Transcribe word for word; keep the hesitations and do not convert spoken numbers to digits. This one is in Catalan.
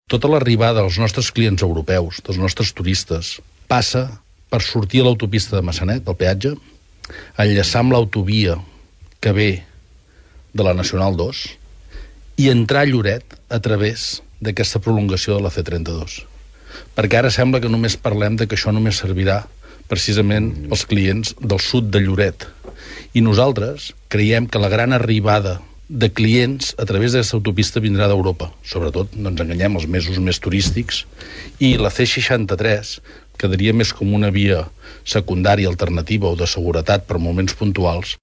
Tota l'arribada dels nostres clients europeus, dels nostres turistes, passa per sortir a l'autopista de Massanet, pel peatge, enllaçar amb l'autovia que ve de la Nacional dos i entrar a Lloret a través d'aquesta prolongació de la ce trenta-dos. Perquè ara sembla que només parlem de que això només servirà precisament als clients del sud de Lloret. I nosaltres creiem que la gran arribada de clients a través d'aquesta autopista vindrà d'Europa. Sobretot, no ens enganyem, els mesos més turístics. I la ce seixanta-tres quedaria més com una via secundària alternativa o de seguretat per moments puntuals.